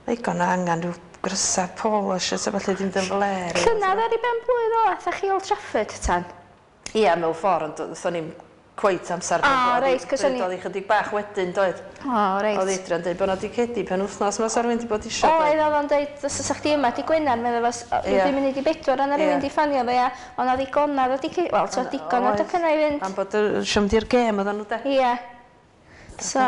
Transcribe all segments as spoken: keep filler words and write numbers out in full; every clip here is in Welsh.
Ddigon o angen rhyw grysa polo shirt a falle ddim yn fler. Llynedd ar ei ben blwydd o, atha chi Old Trafford tan? Ia, mewn ffordd, ond doedd ni'n cweit amser. O, reit, cos o'n i- Oedd hi chydig bach wedyn, doedd? O, reit. Oedd Adrian dweud bod nhw wedi cedi pen wythnos ma sa rhywun wedi bod isio. Oedd, oedd o'n dweud, os oes chdi yma, di Gwener, meddwl fos, Ie. dwi'n mynd i bedwar, yna rhywun Ie. di ffonio fe, a o'na ddigonadd o di, wel, so digon o docynnau i fynd. Am bod y siom di'r gêm oedden nhw de. Ie. So,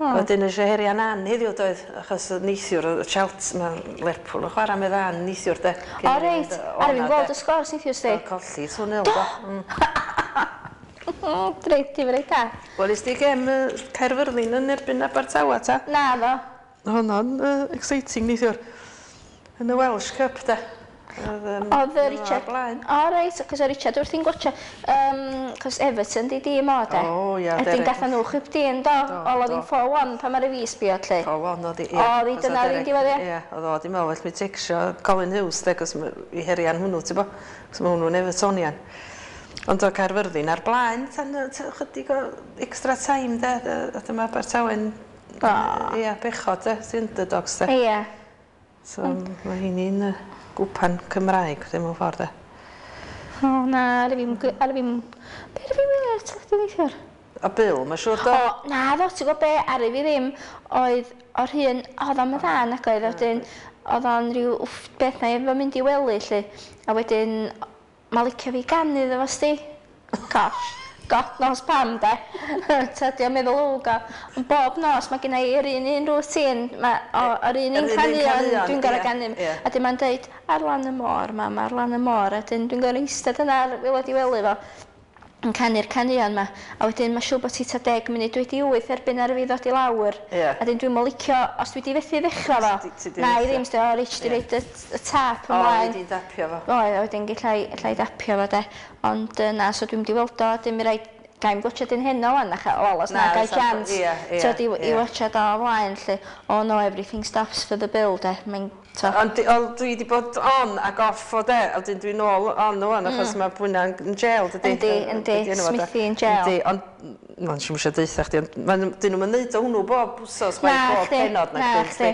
Wedyn eisiau herian Ann heddiw doedd, achos neithiwr y Chelsea, mae Lerpwl yn chwarae med Ann neithiwr de. O reit, ar fi'n gweld y sgôr neithiwr sti. Colli, two nil do. Mm. Reit, di reit da. Wel, is di gem uh, Caerfyrddin yn erbyn Abertawe ta? Na fo. Honno'n uh, exciting neithiwr. Yn y Welsh Cup de. Oedd, um, Oedd y Richard... Blaen. O reit, cos o Richard wrthi'n gwatcha, um, cos Everton di dîm o de. O, ia, Ydyn Derek. gatha nhw chwip dîm do, Do, ol oedd do. hi'n four one pan mae'r fi sbio lle. four one oedd hi. O, oedd hi, dyna oedd hi'n diwedd, ie. Ie, oedd o, di meddwl, well mi tecsio Colin Hughes, de, cos i herian hwnnw, ti'n bo? Cos mae hwnnw'n Evertonian. Ond o Caerfyrddin ar blaen, tan yy, t- chydig o extra time, de, de, a dyma Abertawe'n... O. Ie, bechod, de, sy'n underdogs, de. Ie. So, mae hi'n uh, gwpan Cymraeg, ddim mewn ffordd, de. O na, ar fi'n... Ar fi'n... Be ar fi'n wylio ar teledu neithiwr? A Bill, mae siŵr do? O, na ddo, ti'n gwybod be, ar fi ddim, oedd o'r hun, oedd o'n dda nag oedd, wedyn, oedd o'n rhyw wff, beth na efo mynd i wely, lle, a wedyn, mae licio fi ganu iddo fo sti. Gosh, God knows pam, de. Ta di o'n meddwl o, go. Ond bob nos mae gen i yr un un routine, ma, o, yr un Yr un un un caneuon caneuon, dwi'n gorau ie, ganu. ie. A dim ma'n deud, ar lan y môr, mam, ar lan y môr. A dyn dwi'n gorau eistedd yna ar waelod i wely fo yn canu'r caneuon ma. A wedyn mae siŵr bod ti ta deg munud wedi wyth erbyn ar fi ddod i lawr. Ie. A dyn dwi'n licio, os dwi wedi fethu ddechrau fo, Ti- ti 'di na i fethu. ddim, sti, o, Rich, di Ie. roid y, y tap O, ymlaen. wedi dapio fo. Oedd, a wedyn gallai, gallai dapio fo de. Ond yy, na, so dwi'n mynd i weld o, dim i raid, gael gwatchad un heno wan, ach, wel, os na, Na, gai fysa- chance. ie, ie, Tyd, i, i ie. watchad o ymlaen, lle, oh no, everything stops for the bill, de. Mae'n, to. Ond di- ond dwi wedi bod on ac off o de, a wedyn dwi'n ôl on ŵan, achos mae Bwyna'n yn jail, dydy? Yndi, yndi, Be' 'di enw fo, de? Smithy in jail. Yndi, ond, ma'n siŵr eisiau deutha chdi, ond ma'n- dyn nhw'n neud o hwnnw bob wsos, Na, chwaith, bob chdi, penod na, na chdi.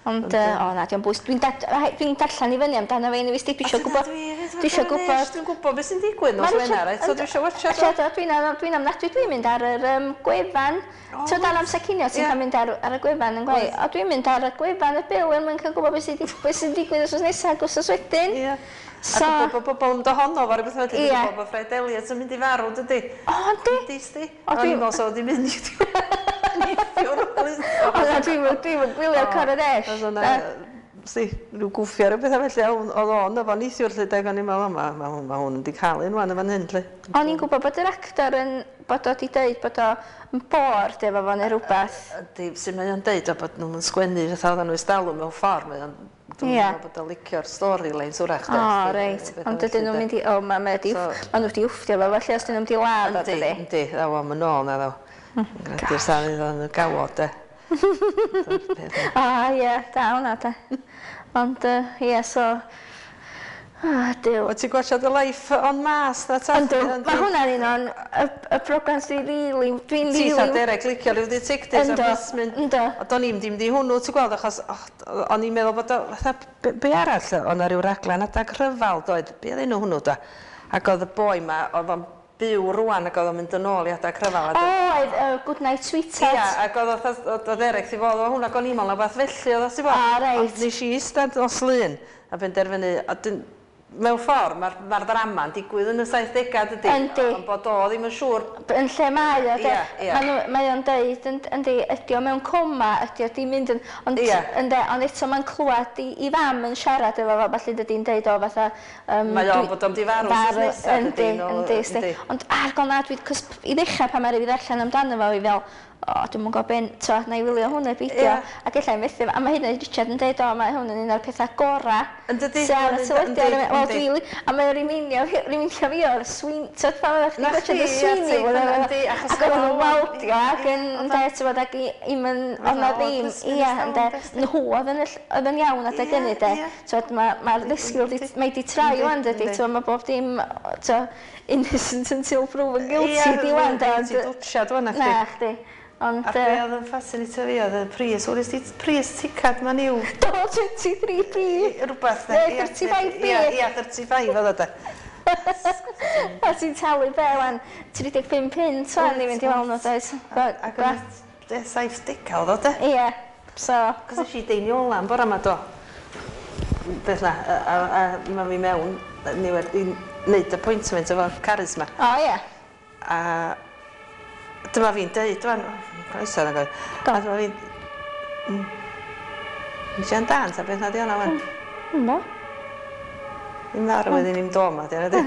Ond, yy, o na, diolch bwys. Dwi'n dad- dwi'n darllen i fyny amdano fe, i fi, dwi eisiau gwybod. Dwi eisiau gwybod. Dwi'n gwybod beth sy'n digwydd nos Ma' Richard- Wener, eto dwi eisiau watchad o. Achos Dwi'n dwi'n ofnadwy, dwi'n mynd ar yr um, gwefan. O, Ti'n ar amser cinio, ti'n Ie. cael mynd ar, ar y gwefan yn gweud. O, dwi'n mynd ar y gwefan y bil er mwyn cael gwybod beth sy'n di- beth sy'n digwydd wsos nesaf ac wsos wedyn. Ie. So- A gwybod bod bobl yn dohono fo rhywbeth wedyn, Ie. dwi'n gwybod bod Fred Elliott yn mynd i farw, dydy? O, yndi? Yndi, sti? O, O'n dwi- i'n meddwl sa fo 'di mynd neithiwr. O, na, dwi'n dwi'n gwylio'r Coronation. Oedd o'na, sti, rhyw gwffio rhyw bethau felly, a oedd o'n efo neithiwr lle, deg o'n i'n meddwl, o, ma, ma, hwn- ma hwn wedi cael un wan yn fan hyn, lle. O'n i'n gwybod bod yr actor yn, bod o wedi deud bod o yn bored efo fo neu rhywbeth. Yndi, sy'n mae o'n deud o bod nhw'n sgwennu fatha oedden nhw ystalwm mewn ffordd, mae o'n, dwi'n Ie. meddwl bod o'n licio'r storylines wrach. de, O, sti, reit. bethau Ond dydyn felly, nhw'n de. mynd i... O, ma, ma, di, So- ma nhw wedi wfftio fo, felly os dyn nhw'n mynd i ladd o, Yndi, dydy. yndi, ddaw am yn ôl na ddaw. Gredu'r safon iddo yn y gawod, de. Dyna'r peth. O, ie, da hwnna, de. Ond, yy, ie, so... Ah, Duw. Wyt ti'n gwachod y Life on Mars na ta? Yndw, mae hwnna'n un o'n y, y program sy'n rili, dwi'n Ti tha rili... Derek licio rhyw detectives a Yndw, plismyn. yndw. A do'n i'm dim di hwnnw, ti'n gweld, achos oh, o'n i'n meddwl bod o, fatha, be, be arall, o'n na ryw raglen adag rhyfal, doedd, be oedd enw hwnnw, da? Ac oedd y boi ma, oedd o'n byw rwan ac oedd o'n mynd yn ôl i adag rhyfal. a O, oedd uh, Good Night Sweetheart. Ia, ac oedd oedd oedd oedd Derek di fod o hwnna, ac o'n i'n meddwl na beth felly oedd o, ti'n bod? O, reit. Ond nes i eistedd nos Lun a benderfynu, a dyn, mewn ffordd, mae'r ma ddrama'n digwydd yn y saithdegau, dydy? Yndi. Ond bod o ddim yn siŵr. Yn lle mae o, de. Ie, ie. Ma' nhw- Mae o'n deud, yn- yndi, ydi o mewn coma, ydi o di mynd yn... Ond, Ie. ynde, ond eto mae'n clywed i, i fam yn siarad efo fo, falle dydi'n deud o fatha... Um, Mae o'n bod o'n di farw wsos nesa, Yndi, dydi, nôl- yndi, sti. yndi. Ond ar gol na, dwi, cos i ddechrau pan mae'r i fi ddarllen amdano fo, fi fel, o, dwi'm yn gwybod ben, to, na i wylio hwnna beidio. Ie. Ac ella i methu, a mae hynny Richard yn deud, o, mae hwn yn un o'r pethau gorau. Yn dydi? Sy ar y Yndi, teledu ar y... yndi, Wel, yndi. dwi, a mae'n remind-io, remind-io fi o'r swin, ti'n pan oeddech chdi'n Na gwachod y chdi, ie, Sweeney, ti, wel, yndi, achos ac oedden nhw'n oedd o'n- waldio ac yn, ynde, ti'n bod, ac i, i'm yn, oedd na Oedd ddim, plismyn ie, ers ynde, talwm, de, nhw oedd yn, y- oedd yn iawn adeg Ie, hynny, de. ie. Ti'n mae'r ma ddisgwyl, di, mae di troi Yndi, wan, dydi, yndi. ti'n mae bob dim, ti'n innocent until proven guilty, di wan, de, ond- Ti'n dwtsiad wan, Na, chdi. Ond... A be oedd yn fascinatio fi oedd y pris, wel, ti pris ticad ma'n i'w... Do, twenty-three p. Rhywbeth. Neu thirty-five p. Ia, ia, thirty-five oedd o de. A ti'n talu be, wan, tri deg pump punt, wan, i fynd i weld nhw, does? Ac yn saith degau oedd o de. Ie, so... Cos es i Deiniola yn bore yma, do. Beth na, a, a, a ma fi mewn, ni wedi wneud appointment efo Carys ma. O, ie. A dyma fi'n deud, wan, croeso yna gwaith. A dyma fi'n... Nes dan, ta beth na di hwnna, wan? Ynddo. I'n marw wedyn i'n do ma, di hwnna di.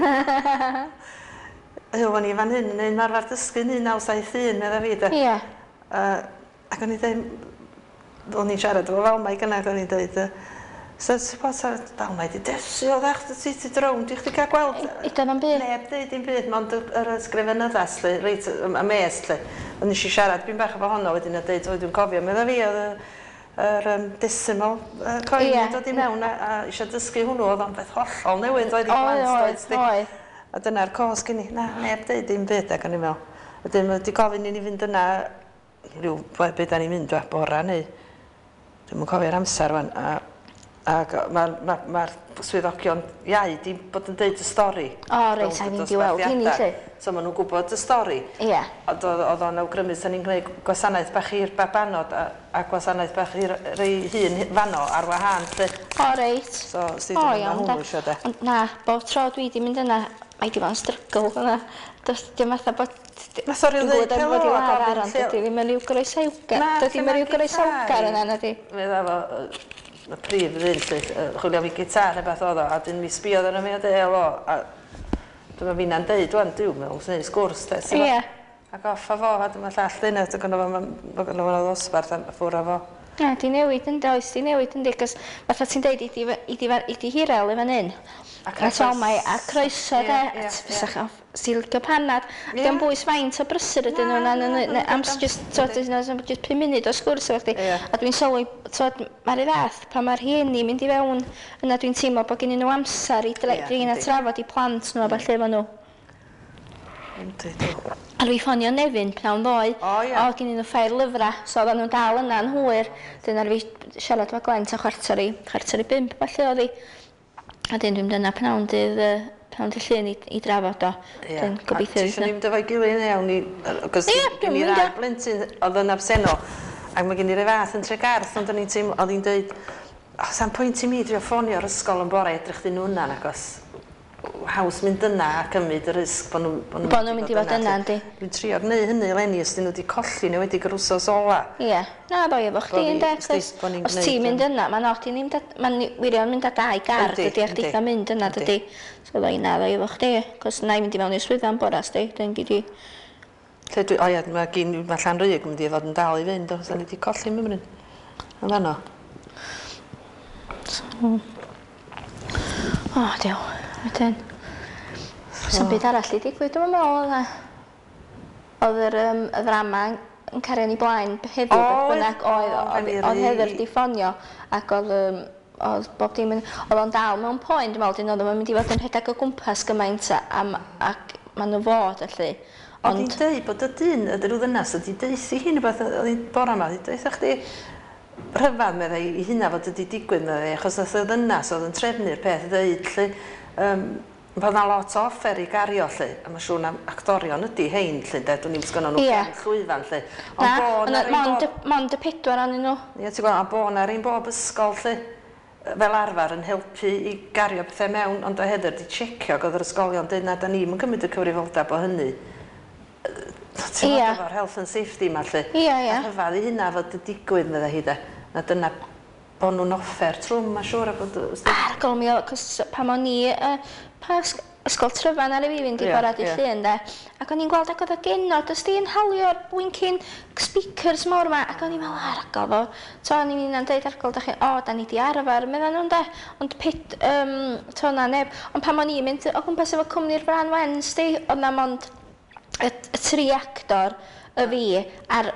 O'n i fan hyn yn ein marfer dysgu un naw saith un, medda fi, de. Ie. Ac o'n i'n deud, o'n i'n siarad efo Falmai gynna, ac o'n i'n deud, so, sa Falmai di desu o ddech, ti ti drownd, i chdi cael gweld... Udodd am byd? Neb deud dim byd, mond yr ysgrifenyddas, lle, reit, y mes, lle. Ond nes i siarad byn bach efo honno wedyn a deud, o, dwi'n cofio, medda fi, oedd yr um, decimal uh, coin yeah. yn dod i mewn a, a eisiau dysgu hwnnw, oedd o'n beth hollol newydd, oedd i blant, oedd, oedd. A dyna'r cos gen i, na, neb deud dim byd, ac o'n i'n meddwl. Wedyn, wedi gofyn i ni fynd yna, rhyw, be da ni'n mynd, bora neu, dwi'm yn cofio'r amser wan, a ac mae'r ma, ma swyddogion iau di bod yn deud y stori. O, reit, a fi'n di weld hynny, lle. So maen nhw'n gwybod y stori. Ie. Yeah. Ond oedd o'n awgrymu, sa'n ni'n gwneud gwasanaeth bach i'r babanod a, a gwasanaeth bach i'r rei hun fanno ar wahân, lle. O, reit. So, sydd yn yma hwnnw eisiau de. Ond na, bob tro dwi di mynd yna, mae di bod yn strygl yna. Does dim fatha bod... Nath o ryw ddeud helo a gofyn lle... Dydy ddim yn rhyw groesawgar. Dydy ddim yn rhyw groesawgar yna, nadi. Medda fo, y prif ddyn, lle, chwilio fi gitar neu beth oedd o, a dyn mi sbiodd arno fi a deud helo, a dyma fi'na'n deud, wan, diw, mewn, sy'n neud sgwrs, de, Ie. Ac off a fo, a dyma llall ddyn, a dyma fo ddosbarth, a ffwr a fo. Na, di newid yn does, di newid yndi, cos fatha ti'n deud, i di, i di hirel i fan hyn. A croeso. A croeso, de, a ti'n licio panad. Diolch bwys faint o brysur ydyn nhw, am just, just pum munud o sgwrs efo chdi. A dwi'n sylwi, twod, mae'r fath, pan mae'r rhieni mynd i fewn, yna dwi'n teimlo bod gennyn nhw amser i drin a trafod i plant nhw a ballu efo nhw. Yndi, dwi. A dwi ffonio Nefyn pnawn ddoe. O, ia. O, gennyn nhw ffair lyfrau, so oedden nhw'n dal yna yn hwyr. Dyn ar fi siarad efo Gwen ta chwarter i, chwarter i bump, falle oedd hi. A dyn dwi'n mynd yna pnawn dydd, pnawn dydd Llun i, i drafod o. Ia. Dyn gobeithio. A ti eisiau ni fynd efo'i gilydd iawn i... Cos Ia, gen dwi'n i mynd ddau blentyn oedd yn absennol. Ac mae gen i rai fath yn Tregarth, ond o'n i'n teimlo, oedd hi'n dweud, o, sa'n pwynt i mi drio ffonio'r ysgol yn bore edrych dyn nhw yna, nagos haws mynd yna a cymryd y risg bod nhw'n bod nhw'n mynd i fod yna, yndi. Dwi'n trio gwneud hynny eleni os dyn nhw wedi colli neu wedi yr wsos ola. Ie. Na, ddoi efo chdi ynde, cos os ti'n mynd yna, mae'n od i ni mynd, mae'n wirion mynd â dau gar, dydy, a chdi eitha mynd yna, dydy. So ddoi na, ddoi efo chdi, cos na i mynd i mewn i'r swyddfa am bora, sdi, dyn gyd i. Lle dwi, o ia, mae gyn, mae Llanrug yn mynd i fod yn dal i fynd, os da ni wedi colli mymryn. Yn fanno. So, o, diw. Wedyn, so, byd arall i digwydd, dwi'n meddwl oedd oedd yr um, y ddrama yn cario ni blaen heddiw, beth bynnag oedd, oedd, oedd Heather di ffonio ac oedd, um, oedd bob dim yn, oedd o'n dal mewn poen, dwi'n meddwl, dyn oedd o'n mynd i fod yn rhedeg o gwmpas gymaint am, ac maen nhw fod, felly. Ond hi'n deud bod y dyn, y rhyw ddynas, ydi deuthi hi'n rhywbeth, oedd hi'n bora yma, oedd hi'n deutha chdi rhyfedd, meddai, i hynna fod ydi digwydd, meddai, achos nath y ddynas oedd yn trefnu'r peth ddeud, lle, um, bod 'na lot o offer i gario, lle, a mae'n siŵr na actorion ydi hein, lle, de, dwi'n i'n sgynnon nhw yeah. gefn llwyfan, lle. Na, ond na, mond, bob... mond y pedwar anyn nhw. Ie, ti'n gweld, a bo na ein bob ysgol, lle, fel arfer yn helpu i gario pethau mewn, ond o Heather di checio, ac oedd yr ysgolion dweud na, da ni'm yn cymryd y cyfrifoldeb o hynny. Ti'n yeah. gweld efo'r health and safety ma, lle. Ie, ie. A rhyfedd i hynna fod y digwydd, meddai hi, de. Na dyna bod nhw'n offer trwm, mae'n siŵr. A bod... Argol mi, cos pan o'n i, uh, pa ysgol Tryfan ar y fi fynd i yeah, bora di yeah. Llun, de. Ac o'n i'n gweld ac oedd y genod, os di'n halio'r blinking speakers mawr ma, ac o'n i'n meddwl, argol fo. To, o'n i'n hunan deud argol, da chi, o, da ni di arfer, medda nhw'n de. Ond pit, um, to na neb. Ond pan o'n i'n mynd o gwmpas efo cwmni'r Fran Wen, sti, oedd na mond y, y tri actor, y fi, a'r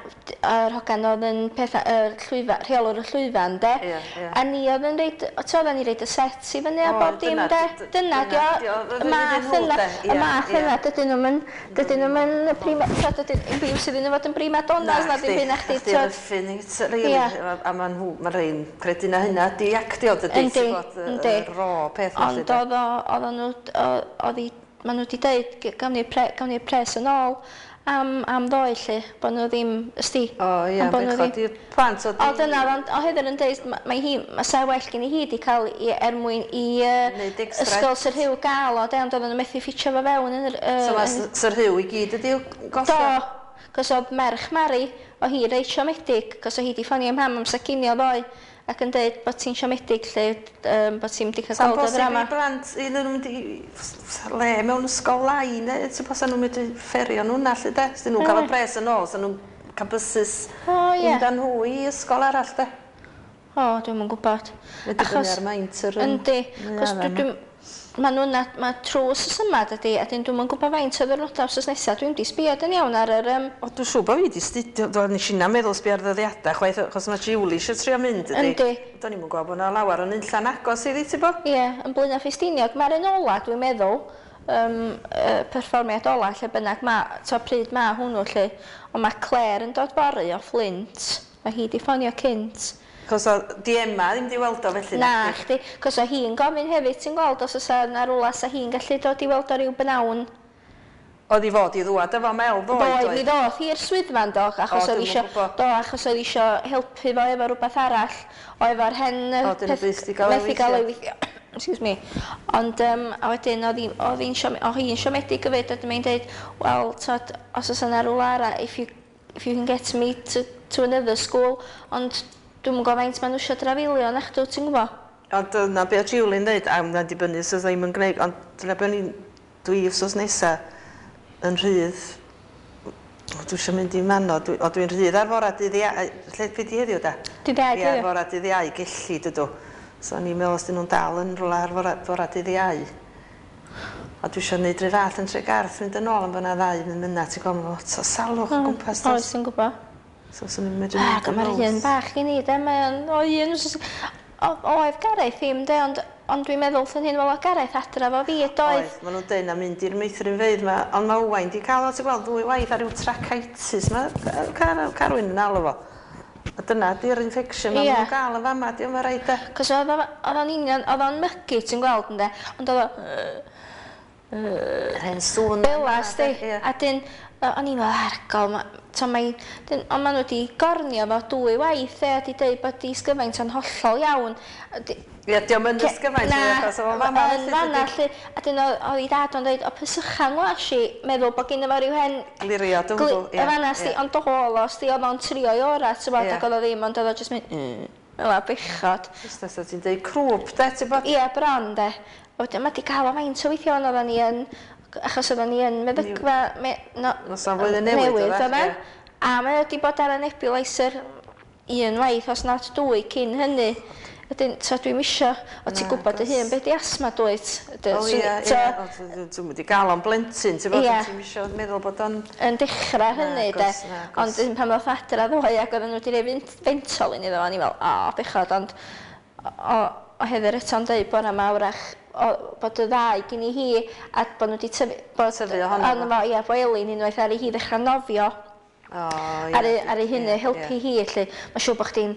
yr hogan oedd yn pethau, y llwyfa, rheolwr y llwyfan, de. Ie, ie. A ni oedd yn reid, o oedden ni reid y set i fyny a O, bob dim, dyna- de. d- Dyna, dyna dio, dio, y math iddyn nhw, yna, de. y Ie, math ie. yna, dydyn nhw'n mynd, dydyn nhw'n mynd prima, t'od, dydyn, ddim sydd yn fod yn prima donnas na ddim byd na chdi, Chdi t'od. roughing it, really. Ie. A, a ma' nhw, ma' rhein credu na hynna di actio, dydy, Yndi, ti'n gwbod, y- yndi. y raw peth felly, Ond de. oedd o, oedd nhw, oedd hi, ma' nhw wedi deud, gawn ni'r pre, gawn ni'r pres yn ôl am, am ddoe, lle, bod nhw ddim, ysdi. O ie, Am bod nhw bechod ddim- i'r plant o O dyna, ond o Heather yn deud, ma- mae hi, mae sa well gen i hi di cael i, er mwyn i uh, Neud extra. ysgol Sir Hugh gael o, de, ond oedden nhw methu ffitio fo fewn yn yr... Uh, So mae Sir Hugh i gyd ydi Do, gollio? cos oedd merch Mari, o hi reit siomedig, cos o hi di ffonio mam am sacinio ddoe, ac yn deud bod ti'n siomedig lle, um, bod ti'n di cael Sa'n gweld y bosib ddrama. i blant, i nhw'n mynd i le mewn ysgol lai, neu ti'n bos nhw'n mynd i fferio nhw na, lle de? Os nhw'n cael y pres yn ôl, sa nhw'n cael bysus O, ie. mynd â nhw i ysgol arall, de? O, dwi'm yn gwybod. Mae dibynnu ar maint yr... yym, Yndi, cos neuaddau dwi, dwi, ma' nhw'n ma' trwy wsos yma dydi, a dyn dwi'm yn gwybod faint o ddiwrnodau wsos nesaf, dwi'm di sbio yn iawn ar yr... Um, O, dwi'n siŵr bod fi wedi studio, do, nes i na meddwl sbio ar ddyddiadau chwaith, achos mae Julie eisiau trio mynd, ydi? Yndi. Do'n i'm yn gweld bod yna lawer o'n unllan agos iddi, ti bo? Ie, yn Blaenau Ffestiniog, mae'r un ola, dwi'n meddwl, um, uh, perfformiad ola, lle bynnag ma, to pryd ma hwnnw, lle, ond mae Claire yn dod fory o Flint, mae hi di ffonio cynt. Cos o, di Emma ddim di weld o felly. Na, chdi, cos o hi'n gofyn hefyd, ti'n gweld, os oes yna rwla sa hi'n gallu dod i weld o ryw bynawn. Oedd i fod i ddwad efo Mel ddoe, Doedd, mi ddoth hi'r swyddfa do, achos O, oedd dwi'm yn isio, gwbo. do, achos oedd isio helpu fo efo rhywbeth arall, o efo'r hen... yy, O, dyn nhw peth- byth 'di gael ei methu gael ei weithio. weithio. Excuse me. Ond, um, a wedyn, oedd hi- oedd hi'n siom- oedd hi'n siomedig hefyd, a dyma dweud, wel, t'od, os oes yna rhywle arall, if you, if you can get me to, to another school, ond dwi'm yn gwybod faint maen nhw eisiau drafilio, na chdw, ti'n gwybod? Ond dyna be oedd Julie'n dweud, a mae'n dibynnu os oedd ddim yn gwneud, ond dyna be o'n i'n, dwi wsos nesa yn rhydd, o, dwi eisiau mynd i Manod, dwi, o dwi'n rhydd ar fora dydd Iau, lle be di heddiw da? Dydd Iau, Ie, ar heddiw. fora dydd Iau, gelli dydw. So o'n i'n meddwl os dyn nhw'n dal yn rhywle ar fora, fora dydd Iau. A dwi eisiau gwneud rhyw fath yn Tregarth, mynd yn ôl am bod yna ddau yn mynd ti'n gwybod, mae lot o salwch o gwmpas. Oes, does? ti'n gwybod. So swn i'n medru Ac mynd yn mae'r ôl. un bach i ni, de, mae'n o un, o- oedd Gareth ddim, de, ond, ond dwi'n meddwl wrth hyn, wel, o Gareth adra fo fi, doedd. Oedd, maen nhw'n deud na mynd i'r meithrinfeydd ma, ond mae Owain di cael o, ti'n gweld, ddwy waith ar ryw tracheitis, mae Car Carwyn yn alw fo. A dyna di'r infection ma Ie. nhw'n gael yn fama, di o'n rhaid de. Cos oedd o- oedd o'n union, oedd o'n mygu, ti'n gweld, ynde, ond oedd o, Yr hen sŵn. Bela, sti. Ie. A dyn, yy, o'n i'n meddwl, argol, ma, to mae, dyn, ond maen nhw wedi gornio fo dwy waith, e, a di deud bod di sgyfaint o'n hollol iawn. A di- Ie, di o'm yn ysgyfaint, Na, achos o'n fama yn fanna, felly, lly. A dyn oedd oedd ei dad o'n dweud, o pysychan ngwas i, meddwl bod gynno fo ryw hen... Glirio, dwi'n gli- gwbod, ie, Y fanna, sti, ie. ond do o, sti, oedd o'n trio i ora, ti'n bod, Ie. ac oedd o ddim, ond oedd o jyst mynd, mm, fel a bechod. Jyst os ti'n deud crwp, de, ti'n bod? Ie, bron, de. A wedyn, mae di gael o faint o weithio, ond oedden ni yn, achos oedden ni yn meddygfa... Me, no, Noson Flwyddyn Newydd, newydd, oedd e? oedden. Ie. A mae wedi bod ar y nebulizer un waith, os nad dwy, cyn hynny. Wedyn, so dwi'm isio, o ti'n gwybod dy hun, be di asma dwyt? O ie, ie, o, dwi'n wedi gael o'n blentyn, ti'n bod, Ie. ti'n isio meddwl bod o'n... Yn dechrau hynny, de. Nagos, nagos. Ond un pan ddoth adra ddoe ac oedden nhw wedi rhoi fent- Ventolin iddo fo, o'n i'n fel, o, bechod, ond o, o Heather eto'n deud bore yma wrach, o, bod y ddau gyn i hi, a bod nhw wedi tyfu... Bod, Tyfu ohono ohono fo, ie, bo Elin unwaith ar ei hi ddechrau nofio O, ie. ar ei, ar ei hynny, ie, helpu ie. hi, lle. Mae'n siŵr bod chdi'n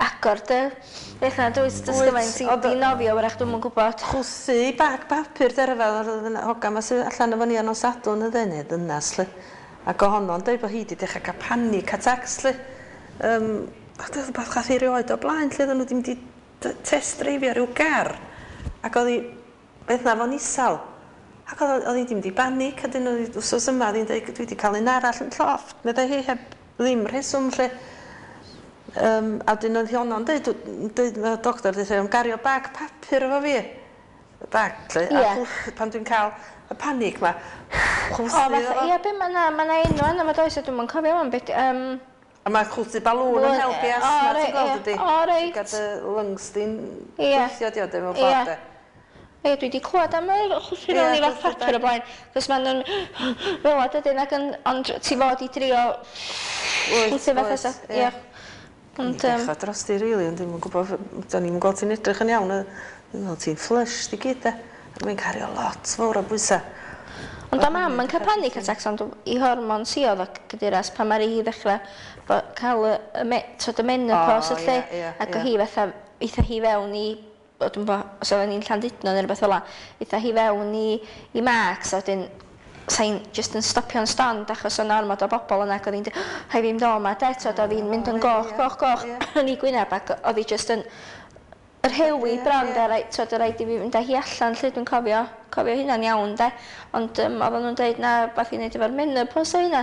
agor dy beth na, dwyt, dys Wyt, gymaint i, ond- i nofio, wrach dwi'm yn gwybod. Chwthu bag papur derfel oedd yna hogan ma sydd allan efo ni ar nos Sadwrn y ddyn, ddynas, lle. Ac ohono'n dweud bod hi wedi dechrau cael panic attacks, lle. Um, a dyna rhywbeth gath hi erioed o blaen, lle oedden nhw ddim wedi test dreifio rhyw gar. Ac oedd hi, beth na fo'n isal. Ac oedd oedd hi ddim wedi banic, a dyn nhw wsos yma, oedd hi'n dweud, dwi wedi cael un arall yn llofft. Meddai hi heb ddim rheswm, lle. Um, a dyn oedd honno'n dweud, dweud, mae'r doctor wedi dweud, gario bag papur efo fi. Bag, lle. Ie. A chwth- pan dwi'n cael y panic ma, O, chwthu fatha, iddo fo. ie, be ma' na, ma' na enw yna, ma' does, a dwi'm yn cofio wan, be di, um, A mae chwthu balŵn yn Balŵn, helpu ie. asthma, O, ti'n reit, gweld ie. ydi? O, reit. Ti'n gadw lungs di'n Ie. gweithio di o, dim mewn Ie. ffordd, de. Ie, dwi wedi clywed am yr chwythu Ie, fewn i fath chwythu papur o bag. blaen, cos ma'n nhw'n fel 'a dydyn, ac yn, ond ti fod i drio Wyt, chwythu fatha wyt, sa, ie. ie. Ond, um, Bechod dros di, rili, ond dwi'm yn gwybod, do'n i'm yn gweld ti'n edrych yn iawn. Dwi'n meddwl ti'n flush di gyd, de. A mae'n cario lot fawr o bwysau. Ond o mam yn cael panic attacks, ond i hormon si oedd o gydyras pan mae hi ddechrau bo, cael y, y, me, tod y menopause O, lle, ie, ie, ac o ie. hi fatha, eitha hi fewn i, o, dwi'm bo, os oedden ni'n Llandudno neu rhywbeth fel 'a, eitha hi fewn i, i Max, a wedyn sa'n just yn stopio'n stond achos o'n ormod o bobl yna, ac oedd hi'n dweud, rhaid fi mynd o 'ma, de, tod, oedd hi'n mynd yn O, goch, ie, goch, goch, ie. yn ei gwyneb, ac oedd hi just yn rhewi Ie, bron, ie. de, rai, tod, rhaid i fi fynd â hi allan, lle dwi'n cofio, cofio hynna'n iawn, de. Ond um, oedden nhw'n dweud na, beth i wneud efo'r menopause o hynna.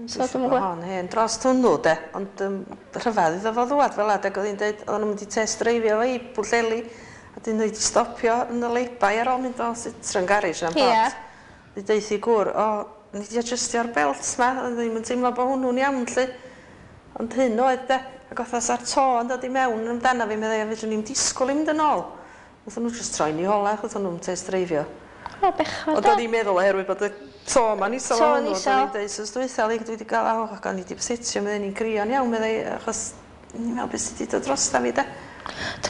So dwi'm yn gwybod. Hon hen dros hwnnw, de. Ond um, rhyfedd iddo fo ddwad fel adeg oedd hi'n dweud, oedden nhw'n mynd i test dreifio fo i Bwllheli, a dyn nhw wedi stopio yn y lay-by ar ôl mynd o Citroen garage na'n Ie. bot. Di deud i gŵr, o, ni wedi adjustio'r belt ma, ond ddim yn teimlo bod hwnnw'n iawn, lle. Ond hyn oedd, de. Ac oedd sa'r to yn dod i mewn amdano fi, meddai, a fedrwn ni'n disgwyl i mynd yn ôl. Wnaethon nhw just troi'n i hola, achos o'n nhw'n test dreifio. O, bechod, Ond de. o'n i'n meddwl oherwydd bod y to ma'n isel o To'n hwnnw, isel. o'n i'n deud sos dwytha, li, dwi wedi gael, o, ac o'n i wedi setio, meddai, ni'n crio'n iawn, meddai, achos ni'n meddwl beth sydd wedi dod drosta fi, de.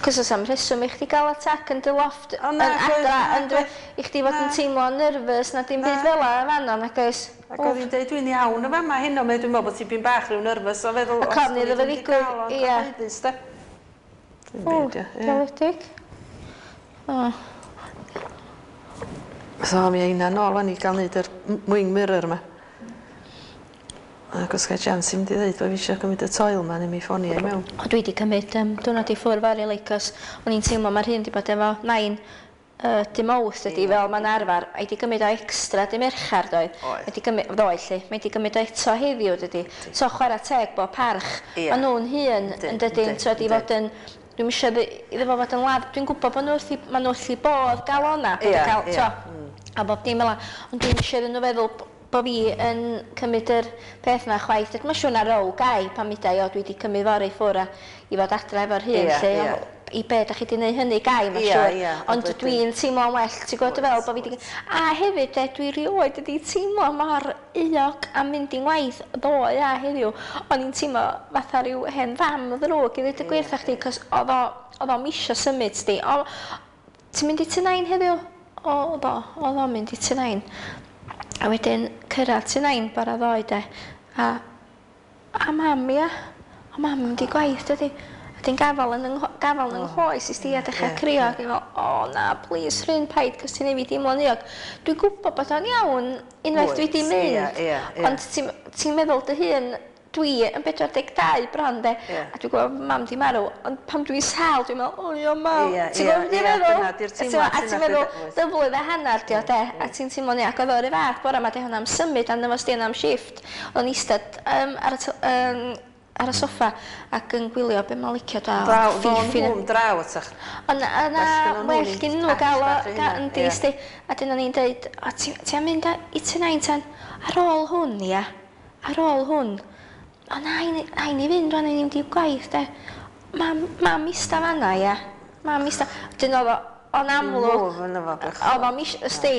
Cos oes am rheswm i chdi gael attack yn dy loft O, yn na, adra, na, yn dy, i chdi fod yn Na. teimlo nervous na dim byd Na. fel 'a yn fanno, nag oes? Ac oedd hi'n deud, dwi'n iawn y fama heno, meddai, dwi'n meddwl bod ti'n bach rhyw nervous o feddwl, Ac ofn iddo fo ddigwydd, ie. Cyhoeddus, de. Dwi'n O, byd, ie. Ie. diawledig. O, So, mi eina nôl wan i gael neud yr m- wing mirror yma. Ac os gael chance i mynd i ddeud bod fi eisiau cymryd y toil ma, neu mi ffonio i mewn. O, dwi wedi cymryd um, diwrnod i ffwrdd fory, like, cos o'n i'n teimlo mae'r hyn wedi bod efo nain uh, dim Mawrth ydi, fel mae'n arfer, a wedi gymryd o extra dim Merchar doedd. Oedd. Wedi gymryd, ddoe lle, mae wedi gymryd o eto heddiw dydi. So chwarae teg bod parch. Ie. Ma' nhw'n hun Yndyn, yn dydyn, yndyn, t'wod, i yndyn. fod yn dwi'm eisiau iddo fo fod yn ladd. Dwi'n gwybod bod nhw wrth i, ma' nhw wrth i bodd gael o'na, bod Ie, yn cael, ie. t'o, a bob dim fel 'a. Ond dwi'm eisiau iddyn nhw feddwl b- bo fi yn cymryd yr peth 'na chwaith. Mae'n siŵr na row gai pan mi o dwi wedi cymryd fory ffwrdd a i fod adra efo'r hun Ie, lle. ie. O, i be da chi wedi gwneud hynny gai, mae'n Ie, siŵr. ie, Ond wedyn- dwi'n teimlo'n well, ti'n gwybod fel bod fi wedi... A hefyd, de, dwi rioed wedi teimlo mor euog am mynd i'n ngwaith ddoe a heddiw. O'n i'n teimlo fatha rhyw hen fam ddrwg i ddweud y gwir wrtha chdi, cos oedd o, oedd o'm isio symud sti. O, ti'n mynd i tŷ nain heddiw? O, oedd o, oedd o'n mynd i tŷ nain. A wedyn cyrraedd tŷ nain bora ddoe de. A, a mam ia. O mam yn mynd i gwaith dydi. A dyn gafal yn yng, gafal yn yng nghoes i sti a dechrau ie, crio. Ac i'n meddwl, o na, please, Rhun, paid, cos ti'n neud fi deimlo'n euog. Dwi'n gwybod bod o'n iawn unwaith dwi Wyt, wedi mynd. ie, ie, ie. Ond ti'n ti meddwl dy hun, dwi yn pedwar deg dau bron de, Ie. a dwi'n gwybod mam di marw, ond pam dwi'n sâl, dwi'n meddwl, o ia mam. Ie, Ti'n ie, gwybod beth dwi'n ie, meddwl? dyna 'di'r A ti'n teimlad A ti'n yna meddwl, pryd- oes. dy flwydd a hanner di o de, a ti'n teimlo'n ia, ac oedd o'r fath bora ma, di hwnna am symud arno fo sti am shift. Oedd o'n eistedd um, ar y, t- um, ar y soffa ac yn gwylio be mae'n licio da. Draw, ddo'n nhw'n draw atach. Ond yna, Well gynnon nhw well ni gyn nhw patch gael o, bach i ga, hynna, yndi, ie. sti. A dyn o'n i'n deud, o, ti, ti am mynd a- i tŷ nain tan, ar ôl hwn, ia, ar ôl hwn, o na, i ni, na, i ni fynd rwan, i ni mynd i'w gwaith, de. Mam, mam ista fanna, ia. Mam ista. Dyn oedd o, o'n amlwg, Move yna fo, bechod. oedd o'n mis, ysdi,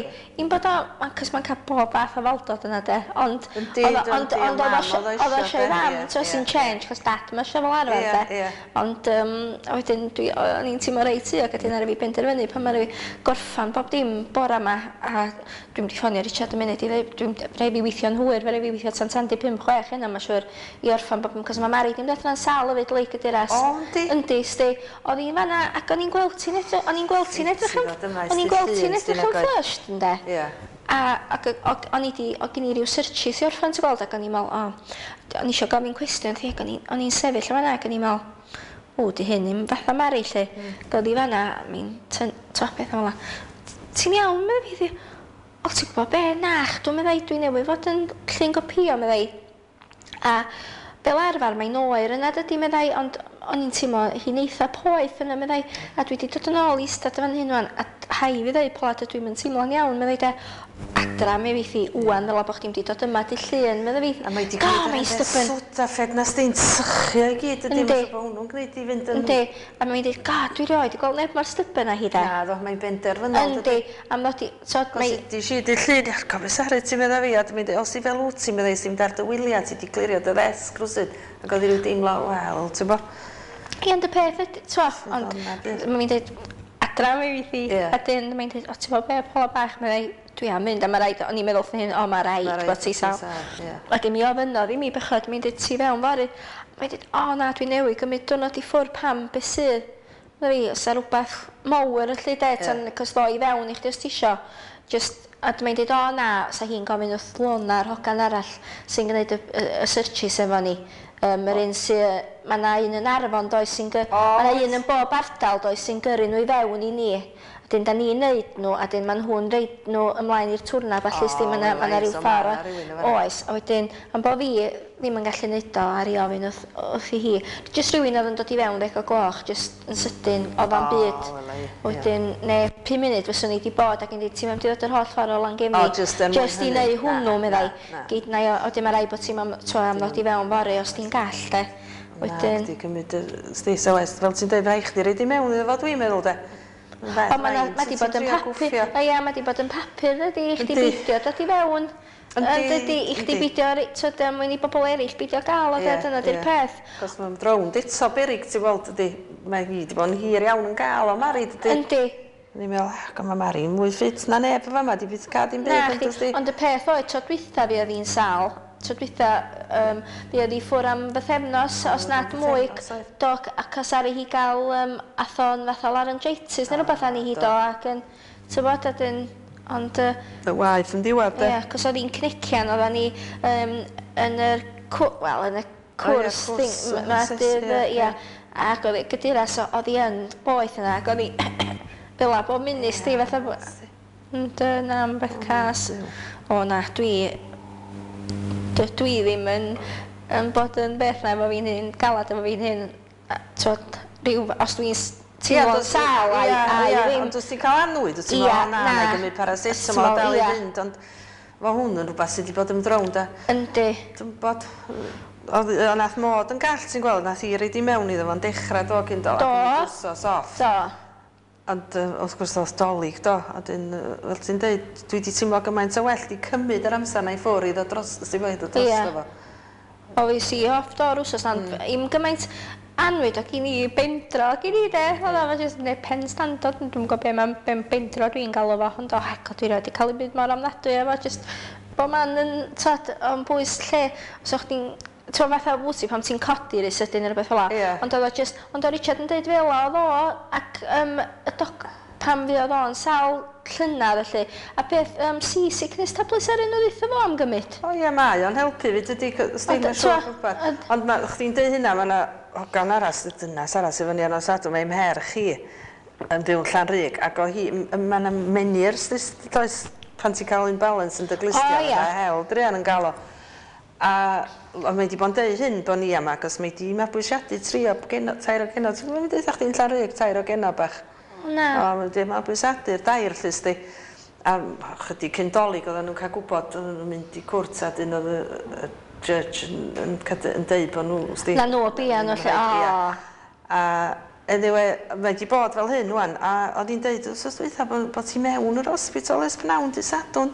un bod o, cos mae'n cael bob fath o faldod yna de, ond, Yndi, oedd o- ond, yndi, ond o oedd o mam isio- oedd o oedd o isio eisiau de, fam, ie, so sy'n ie. change, cos dad ma eisiau fel arfer, Ie, de. ie. Ond um, a wedyn dwi, o'n i'n teimlo reit euog, a dyn ar fi benderfynu pan ma'n fi gorffan bob dim bora ma, a dwi'n mynd i ffonio Richard yn munud i ddweud, dwi'n rhaid fi weithio'n hwyr, fe rhaid fi weithio tan tan di pump chwech hynna, mae'n siŵr, i orffan bob dim, cos mae Mari dim dod sâl hefyd, leic y diras. O, yndi? Yndi, sti. Oedd hi'n fanna, ac o'n i'n gweld ti'n edrych, o'n i'n gweld ti'n edrych Ti yn, fod yma, o'n i'n sti gweld ti'n llun, edrych sti yn nag oedd? flushed, ynde? Ie. A ac o- o'n i di, o gen i ryw searches i orffan, ti'n gweld, ac o'n i'n meddwl, o, o'n i eisiau gofyn cwestiwn, thi, ac o'n i- o'n i'n sefyll yn fanna, ac o'n i'n meddwl, o, di hyn ddim fatha Mari, lle. Mm. Ac i fanna, mi'n to beth fel 'na. Ti'n iawn, meddai fi, o, ti'n gwybod be, nach, dwi'n meddai, dwi newydd fod yn llun gopio, meddai. A fel arfer mae'n oer yna dydy, meddai, ond o'n i'n teimlo hi'n eitha poeth yna, meddai, a dwi wedi dod yn ôl i eistedd fan hyn wan, a hai fi ddeud, Paula, dydw i'm yn teimlo'n iawn, meddai de, adra mi fydd hi wan, ddylai bod chdi'm di dod yma dy llun, meddai fi. A mae di gwneud yr hen Sudafed na sdi'n sychu o'i gyd, ydy, mae'n siŵr bod hwnnw'n gwneud i fynd yn... Yndi, a mae'n dweud, God, dwi rioed di gweld neb mor stubborn â hi de. Na, ddo, mae'n benderfynol. Yndi, a mae'n dod i... Cos ydi si dy llun, ar cofio Sari, ti'n meddwl fi, a dwi'n dweud, os i fel wyt ti'n meddwl, ti'n mynd ar dy wyliau, ti di clirio dy ddesg rwsyd, ac oedd i ryw deimlo, wel, ti'n bo. Ie, ond y peth ydy, t'wo, ond mae'n dweud, adra mi fydd hi, a dyn mae'n dweud, o, ti'n bo be, Paula bach, mae'n dweud, dwi am mynd, a mae rhaid, o'n i'n meddwl wrth hyn, o, mae rhaid bod ti sal. Wedyn mi ofynnodd i mi bechod, mae'n dweud, ti fewn fory. Mae'n dweud, o na, dwi newydd gymryd diwrnod i ffwrdd, pam, be sydd? Medda fi, oes 'na rhywbeth mawr yn lle de, tan, cos ddo i fewn i chdi os ti isio. Just, a mae'n dweud, o na, sa hi'n gofyn wrth Lona, yr hogan arall sy'n gwneud y, y, y searches efo ni. Um, yr un sy, mae yna un yn Arfon, does, sy'n gy... Oh, mae yna un yn bob ardal, does, sy'n gyrru nhw i fewn i ni. A dyn, da ni'n neud nhw, a dyn, maen nhw'n reid nhw ymlaen i'r twrna, falle oh, sti, mae yna rhyw ffordd. Oes, a wedyn, am bo fi ddim yn gallu neud o ar ei ofyn wrth, wrth i hi. Just rhywun oedd yn dod i fewn ddeg o gloch, just yn sydyn, oedd o'n byd. Wedyn, neu pum munud fyswn i wedi bod ac yn dweud, ti'n mynd i ddod yr holl ffordd o Langefni. Oh, just, er just i neud hwnnw, meddai. Gyd na, wedyn mae rhaid bod ti'n am ddod i fewn fory os ti'n gall, de. Wedyn... Na, chdi gymryd y stis o west, fel ti'n dweud, rhaid chdi reid i mewn iddo fo, dwi'n meddwl, de. O, mae di bod yn papur, o ia, mae di bod yn papur, ydy, i chdi beidio dod i fewn. Ydy, i chdi beidio, tyd, mwyn i bobl eraill beidio gael o, dyna di'r peth. Cos mae'n rownd eto berig, ti'n gweld, ydy, mae hi di bod yn hir iawn yn gael o Mari, dydy. Yndi. O'n i'n meddwl, ac mae Mari'n mwy ffit na neb yn fama, di byth cael dim byd. Na, ond y peth oedd, tro dwytha fi oedd hi'n sâl, tro dwytha um, fi oedd hi ffwr am bythefnos, os nad mwy, do, ac os ari hi gael um, athon fatha laryngitis, neu rhywbeth ani hi do, ac yn, ti'n bod, ydyn, ond... Y waith yn diwedd, de. Ie, cos oedd hi'n cnician, oedden ni um, yn yr, wel, yn y cwrs, thing, ie, ac oedd gydyras, oedd hi yn boeth yna, ac oedd hi fel a bob munud, sti, fatha, ond na, am beth cas. O na, dwi, dwi ddim yn, yn bod yn beth na efo fi'n hyn, galad efo fi'n hyn, twod, rhyw, os dwi'n teimlo'n sâl, ai, ai ddim. Ond os ti'n cael annwyd, wyt ti'n meddwl, o na, na i gymryd paracetamol a dal i fynd, ond mae hwn yn rhywbeth sydd wedi bod yn rownd, a... Yndi. Dwi'n bod, oedd nath Mod yn gall, ti'n gweld, nath hi reid i mewn iddo fo'n dechrau do cyn do, ac yn wsos off. Do. Ond wrth gwrs oedd Dolig do, a dyn, fel ti'n dweud, dwi wedi teimlo gymaint o well di cymryd yr amser na i ffwrdd i ddod dros, sy'n fwy ddod drosto fo. O, fi si off do'r wsos, ond mm. i'm gymaint annwyd o gyn i bendro gyn i de, oedd o jyst neu pen standard, dwi'n gwybod be mae'n ben bendro dwi'n galw fo, ond o hec, o dwi rioed wedi cael ei byd mor ofnadwy efo, jyst bo man yn, tod, o'n bwys lle, os o'ch chdi'n ti'n fatha wti pam ti'n codi rhy sydyn neu rhywbeth fel 'a. Yeah. Ond oedd o just, ond oedd Richard yn deud fel oedd o, ac um, y doc, pam fuodd o'n sâl llynedd felly, a beth um, seasickness tablets ar un o ddeutha fo am gymryd. O ie, mae o'n helpu fi, dydy, os ti'n siŵr rhywbeth. Ond ma, chdi'n deud hynna, mae yna hogan arall, dynas arall sydd fyny ar nos Sadwrn, mae mherch hi yn byw'n Llanrug, ac o hi, mae yna Meniere's, does, pan ti'n cael imbalance yn dy glustia, oh, yeah. Mae hel druan yn gael o. A mae wedi bod yn deud hyn bod ni yma, ac mae wedi mabwysiadu tri o geno, tair o geno. Ti'n gwybod, mae'n deud chdi'n Llanrug, tair o geno bach. Na. O, mae wedi mabwysiadu'r dair, lle sti. A chydig cyn Dolig oedden nhw'n cael gwybod, oedden nhw'n mynd i cwrt, a dyn oedd y, y judge yn, yn, yn, yn deud bod nhw, sti. Na nhw bia nhw, lle, o. A anyway, mae wedi bod fel hyn, wan, a oedd hi'n deud, wsos dwytha, bod, bod ti mewn yr hospital ers pnawn dy Sadwrn.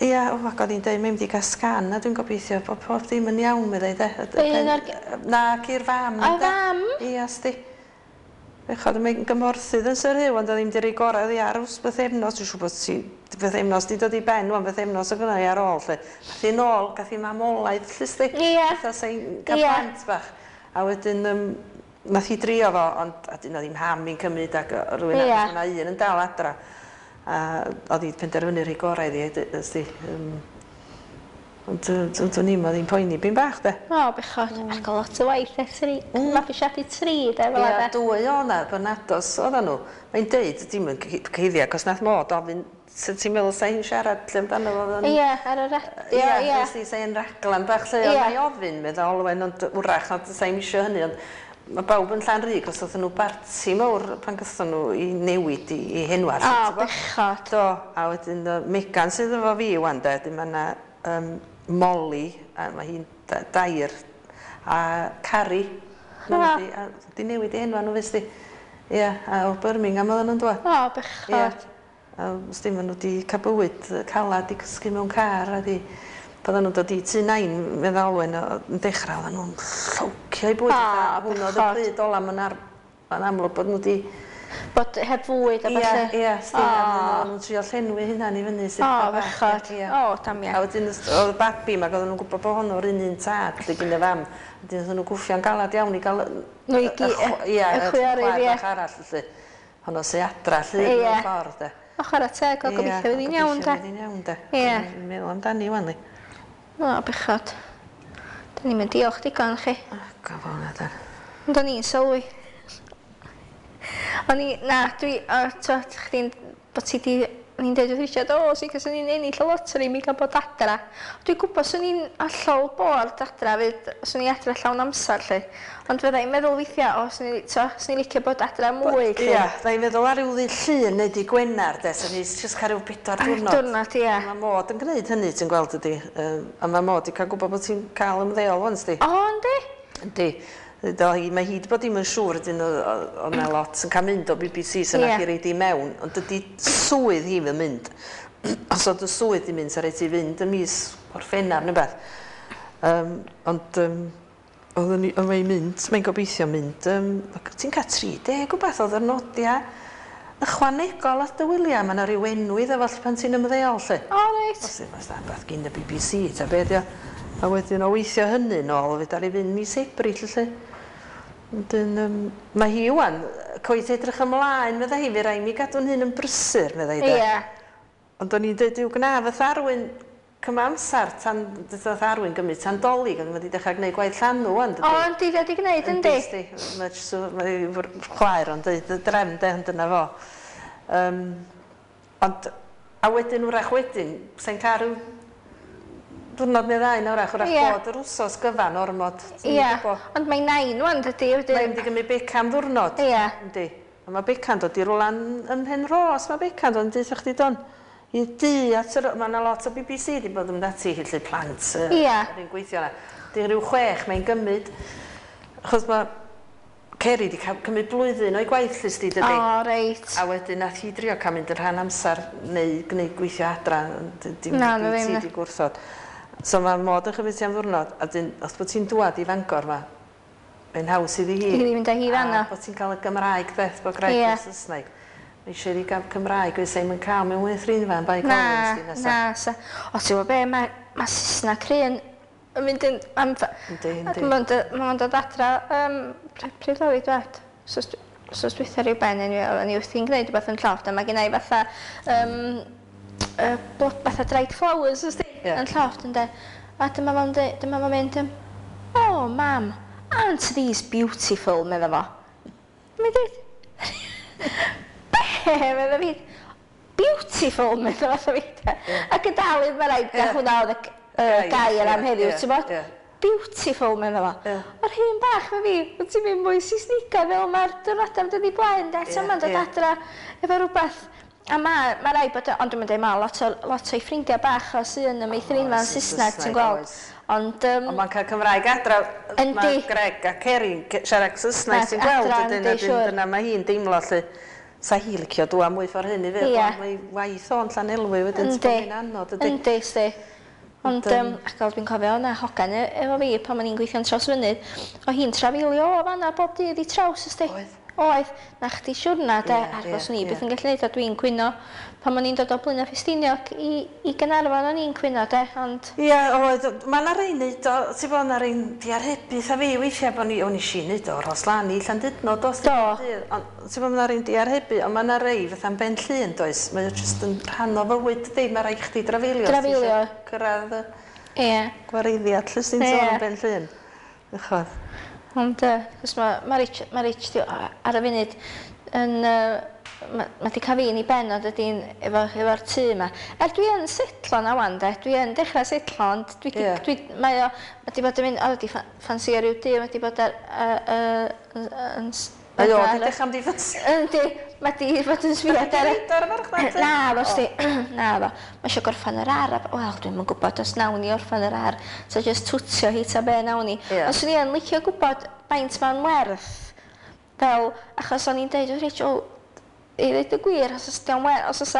Ia, o, ac oedd hi'n deud, mae'n mynd i gael sgan, a dwi'n gobeithio bod pob dim yn iawn, meddai, de. Un o'r... Na, i'r fam. O, fam? Ia, sti. Bechod, mae'n gymorthydd yn Sir Huw, ond oedd hi'n rhoi gorau iddi ar ws bythefnos. Dwi'n siŵr bod ti, bythefnos di dod i ben, wan, bythefnos o gynna i ar ôl, lle. Gath hi nôl, gath hi mamolaeth, lle, sti. Ia. Fatha sa'n cael plant bach. A wedyn, um, nath hi drio fo, ond a dyn oedd hi'n ham i'n cymryd ac rhywun arall, mae un yn dal adra. A oedd hi'n penderfynu rhoi gorau iddi, ysdi. Um, ond dwi'n i'n oedd hi'n poeni byn bach, de. O, bechod. Mm. Ac o lot o waith e, tri. Mm. Mabwysiadu tri, de, fel Ia, dwy o'na, Bernados oedden nhw. Mae'n deud, dim yn cyhuddio, cos nath Mod ofyn, So ti'n meddwl sa hi'n siarad lle amdano fo? Ie, ar y radio, ie. Ie, yeah, sa hi'n raglan bach lle, yeah. Ond ofyn, meddwl Olwen, ond wrach, ond sa hi'n isio hynny, ond mae bawb yn Llanrug, os oedden nhw barti mawr pan gathon nhw i newid i, i henwa. O, bechod. Do, a wedyn Megan sydd efo fi wan de, wedyn mae yna um, Molly, a mae hi'n dair, a Carrie. Ah. Di, a, di newid i henwa nhw, fes di. Ie, a o Birmingham oedden nhw'n dod. O, bechod. Ie. A os dim, maen nhw wedi cael bywyd calad, di cysgu mewn car, a di... Bydden nhw'n dod i tŷ nain, meddwl Olwen, yn dechrau, oedden nhw'n llowcio i bwyd. O, hwnnw oedd y pryd ola, mae'n ar, amlwg bod nhw wedi... Bod heb fwyd a ballu. Ie, ie, sdi, a oedden nhw'n trio llenwi hynna'n i fyny. O, bechod. O, damia. A wedyn, oedd y babi, mae oedden nhw'n gwybod bod honno'r un un tad, lle gyn y fam. Wedyn oedden nhw'n gwffio'n galad iawn i gael... Nhw i gyd, y chwiorydd, ie. Bach arall, felly. Honno sy adra, lle, mewn ffordd, de. O, chwarae teg, o gobeithio fydd hi'n iawn, de. Gobeithio fydd hi'n iawn, de. Ie. Dwi'n meddwl amdani, wan, li. O, bechod. Da ni'n mynd diolch digon, chi. O, gofal na, da. Ond o'n i'n sylwi. O'n i, na, dwi, o, to, chdi'n, bod ti di, o'n i'n deud wrth Richard, o, sy'n cos o'n i'n ennill y loteri, mi gael bod adra. Dwi'n gwybod swn i'n hollol bored adra, fyd, swn i adra llawn amser, lle. Ond fydda i'n meddwl weithiau, o, swn i'n swn i'n licio bod adra mwy, lle. Ia, fydda i'n meddwl ar ryw ddydd Llun neu dydd Gwener, de, swn i'n jyst cael rhyw bedwar diwrnod. Diwrnod, ia. Mae mod yn gwneud hynny, ti'n gweld ydi. A mae mod i cael gwybod bod ti'n cael ymddeol wan, sdi. O, yndi? Yndi. Mae hi wedi bod ddim yn siŵr ydyn oedd yna lot yn cael mynd o B B C sy'n yeah. Nath i reid i mewn, ond dydy swydd hi fel mynd. Os oedd y swydd i mynd, sa'n rhaid i fynd y mis Gorffennaf neu beth. Um, ond um, oedd mae'n mynd, mae'n gobeithio mynd, um, ti'n cael tri deg o beth oedd yr nodiau ychwanegol at dy wyliau, mae yna rhyw enw iddo fo pan ti'n ymddeol, lle. O, reit. Os yw'n beth gyn y B B C, ta beth, ia. A wedyn o weithio hynny nôl, fyd ar ei fynd mis Ebrill, lle. Wedyn, um, mae hi wan, coet edrych ymlaen, meddai hi, fe rai mi gadw'n hun yn brysur, meddai hi. Ie. Yeah. Ond o'n i'n dweud, yw gna fath Arwyn cyma amser, tan, fath Arwyn gymryd tan Dolig, ond mae wedi dechrau gwneud gwaith llanw wan, dydy. O, yndi, wedi gwneud, yndi. Yndi, mae chwaer o'n dweud, y drefn, de, ond dyna fo. Um, ond, a wedyn, wrach wedyn, sa'n cael rhyw diwrnod neu ddau na wrach, wrach yeah. Bod yr wsos gyfan ormod. Ie, yeah. Ond mae nain wan, dydy. Wedyn... Mae'n mynd i gymryd Beca am ddiwrnod. Ie. Yeah. Yndi. A mae Beca'n dod i rwlan ym Mhenrhos, mae Beca'n dod yn dweud chdi don. I dŷ at yr... Mae yna lot o B B C wedi bod yn mynd ati, felly plant. Ie. Yeah. Yn gweithio yna. Di rhyw chwech mae'n gymryd. Achos mae Ceri wedi cymryd blwyddyn o'i gwaith llys di, dydy. O, reit. A wedyn nath hi drio cael mynd yn rhan amser neu gwneud gweithio adra. Dim Na, na ddim. Ti wedi gwrthod. So mae mod yn chymryd ti am ddwrnod, a dyn, os bod ti'n dwad i Fangor ma, mae'n haws iddi hi. I fynd â hi fan'na. A bod ti'n cael y Gymraeg beth, bod Graig yeah. yn Saesneg. Mae eisiau iddi gael Cymraeg, oes e'n cael mewn weithrinfa yn Bae Collins di nesa. Na, sa. O, ti'n gwybod be, mae ma Saesneg rhywun yn mynd yn... Am, yndi, yndi. Mae'n dod adra, um, pryd oedd i dwed? So, dwytha rhyw ben, anyway, oedden ni wrthi'n gwneud rhywbeth yn llofft, a mae gen i fatha, um, uh, blod, fatha dried flowers, ysdi? Yeah. Yn llofft, ynde. A dyma fo'n dyma fo'n mynd, oh, mam, aren't these beautiful, medda fo. Mae'n dweud, be, medda fi, beautiful, medda fo, fi. Ac yn dal i, mae rhaid, na hwnna oedd y gair am heddiw, ti'n bod? Beautiful, medda fo. O'r hyn bach, mae fi, wyt ti'n mynd mwy Saesnigaidd fel mae'r diwrnodau am dod i blaen, de, so mae'n dod adra efo rhywbeth. A mae ma rai bod, ond dwi'n dweud, mae lot o, lot o'i ffrindiau bach o sy'n y meithrinfa'n Saesneg, ti'n gweld. Ond, um, ond mae'n cael Cymraeg adra, mae Greg a Ceri'n siarad Saesneg, ti'n gweld, ydyn, ydyn, dyna mae hi'n deimlo, lle, sa hi licio dwa mwy ffordd hyn i fi, yeah. Mae waith o'n Llanelwy wedyn, ti'n bod yn anodd, ydy. Yndi, sti. Ond, um, ac dwi'n cofio o'na hogan efo fi pan o'n i'n gweithio'n Trawsfynydd, o hi'n trafeilio o fan'na bob dydd i Traws, ysdi. Oedd. Oedd, na chdi siwrna, de, yeah, ar yeah, ni yeah. Beth yn gallu neud, a dwi'n cwyno pan o'n i'n dod o Blaenau Ffestiniog i, i Gaernarfon o'n i'n cwyno, de, ond... Ie, yeah, oedd, mae yna rei neud o, ti'n bod, yna rei'n diarhebu, a fi weithiau bod ni, o'n i si neud o Rhosllan i Llandudno, dos. Do. Ond, ti'n bod, mae yna rei'n diarhebu, ond mae yna rei fatha'n Ben Llŷn, does, mae o jyst yn rhan o fywyd, dydi, mae rhaid chdi drafeilio. Drafeilio. Cyrraedd y yeah. gwareiddiad, lle sy'n sôn am Ben Llŷn. Ychod. Ond, uh, cos mae ma Rich, ma Rich di, ar y funud yn, uh, ma, ma di cael fi'n i ben ond ydy'n efo, efo'r tŷ yma. Er dwi yn setlo na wan de, dwi yn dechrau setlo, ond dwi, Ie. dwi, mae o, mae di bod yn mynd, o, di ffansio rhyw dŷ, mae di bod ar, yy, yy, yn... Mae o di dechrau am di ffansi. Yndi, mae di fod yn sbio Di ar... reid ar y farchnad? Na, fo sti, na fo. Mae eisiau gorffan yr ar, a- wel, dwi'm yn gwybod os nawn ni orffan yr ar. So just twtio hi ta be nawn ni. Ie. Ond swn i yn licio gwybod faint mae'n werth. Fel, achos o'n i'n deud, wrth Rich, o, i ddweud y gwir, os oes dio'n werth, os oes